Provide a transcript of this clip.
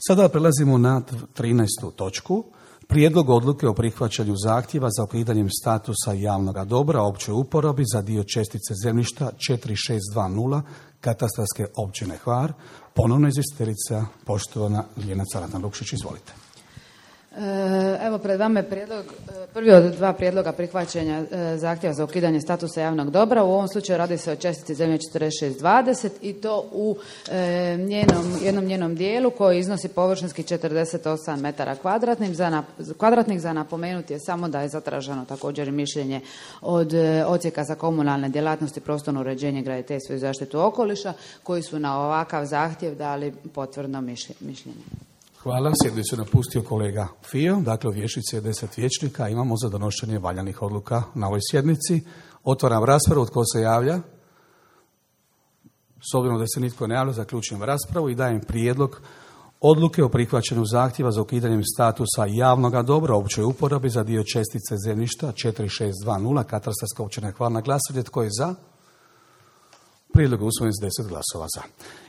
Sada prelazimo na 13. točku. Prijedlog odluke o prihvaćanju zahtjeva za ukidanjem statusa javnog dobra općoj uporabi za dio čestice zemljišta 4620 katastarske općine Hvar. Ponovno izvjestiteljica, poštovana Ljiljana Lukšić, izvolite. Evo pred vama je prvi od dva prijedloga prihvaćanja zahtjeva za ukidanje statusa javnog dobra. U ovom slučaju radi se o čestici zemlje 4620 i to u jednom njenom dijelu koji iznosi površinski 48 metara kvadratnih. Za napomenuti je samo da je zatraženo također mišljenje od Odsjeka za komunalne djelatnosti, prostorno uređenje, graditeljstvo i zaštitu okoliša koji su na ovakav zahtjev dali potvrdno mišljenje. Hvala. Sjednicu napustio kolega Fio. Dakle, u vijećnici je 10 vijećnika. Imamo za donošenje valjanih odluka na ovoj sjednici. Otvaram raspravu. Tko se javlja? S obzirom da se nitko ne javlja, zaključujem raspravu i dajem prijedlog odluke o prihvaćanju zahtjeva za ukidanjem statusa javnoga dobra u općoj uporabi za dio čestice zemljišta 4620 katastarska općina Hvar. Na glasovanje. Tko je za? Prijedlog je usvojen s 10 glasova za.